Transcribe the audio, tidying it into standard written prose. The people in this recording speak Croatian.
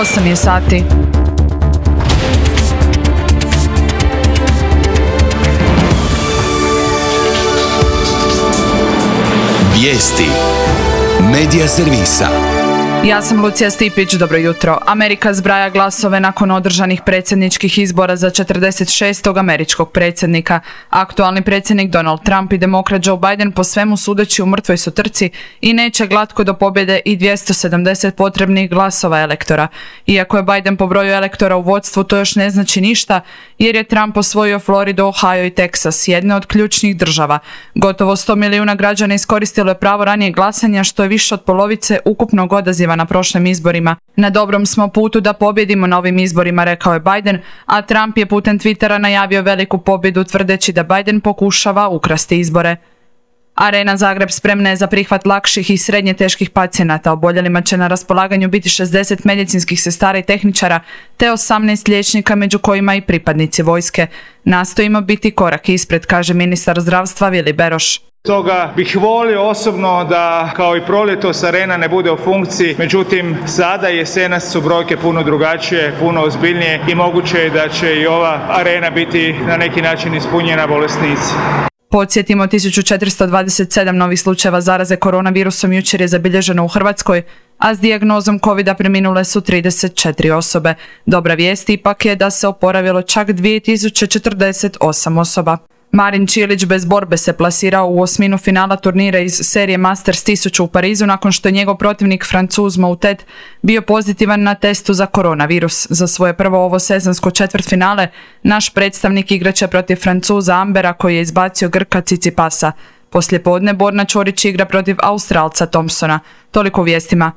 8 je sati. Vijesti Medija servisa. Ja sam Lucija Stipić, dobro jutro. Amerika zbraja glasove nakon održanih predsjedničkih izbora za 46. američkog predsjednika. Aktualni predsjednik Donald Trump i demokrat Joe Biden po svemu sudeći u mrtvoj su trci i neće glatko do pobjede i 270 potrebnih glasova elektora. Iako je Biden po broju elektora u vodstvu, to još ne znači ništa, jer je Trump osvojio Floridu, Ohio i Teksas, jedne od ključnih država. Gotovo 100 milijuna građana iskoristilo je pravo ranije glasanja, što je više od polovice ukupnog odaziva na prošlim izborima. Na dobrom smo putu da pobjedimo na ovim izborima, rekao je Biden, a Trump je putem Twittera najavio veliku pobjedu tvrdeći da Biden pokušava ukrasti izbore. Arena Zagreb spremna je za prihvat lakših i srednje teških pacijenata. Oboljelima će na raspolaganju biti 60 medicinskih sestara i tehničara, te 18 liječnika, među kojima i pripadnici vojske. Nastojimo biti korak ispred, kaže ministar zdravstva Vili Beroš. Stoga bih volio osobno da kao i proljetos arena ne bude u funkciji, međutim sada jesenas su brojke puno drugačije, puno ozbiljnije i moguće je da će i ova arena biti na neki način ispunjena bolesnici. Podsjetimo, 1427 novih slučajeva zaraze koronavirusom jučer je zabilježeno u Hrvatskoj, a s dijagnozom covida preminule su 34 osobe. Dobra vijest ipak je da se oporavilo čak 2048 osoba. Marin Čilić bez borbe se plasirao u osminu finala turnira iz serije Masters 1000 u Parizu nakon što je njegov protivnik Francuz Moutet bio pozitivan na testu za koronavirus. Za svoje prvo ovo sezonsko četvrtfinale naš predstavnik igraće protiv Francuza Ambera koji je izbacio Grka Cicipasa. Poslijepodne Borna Ćorić igra protiv Australca Thompsona. Toliko u vijestima.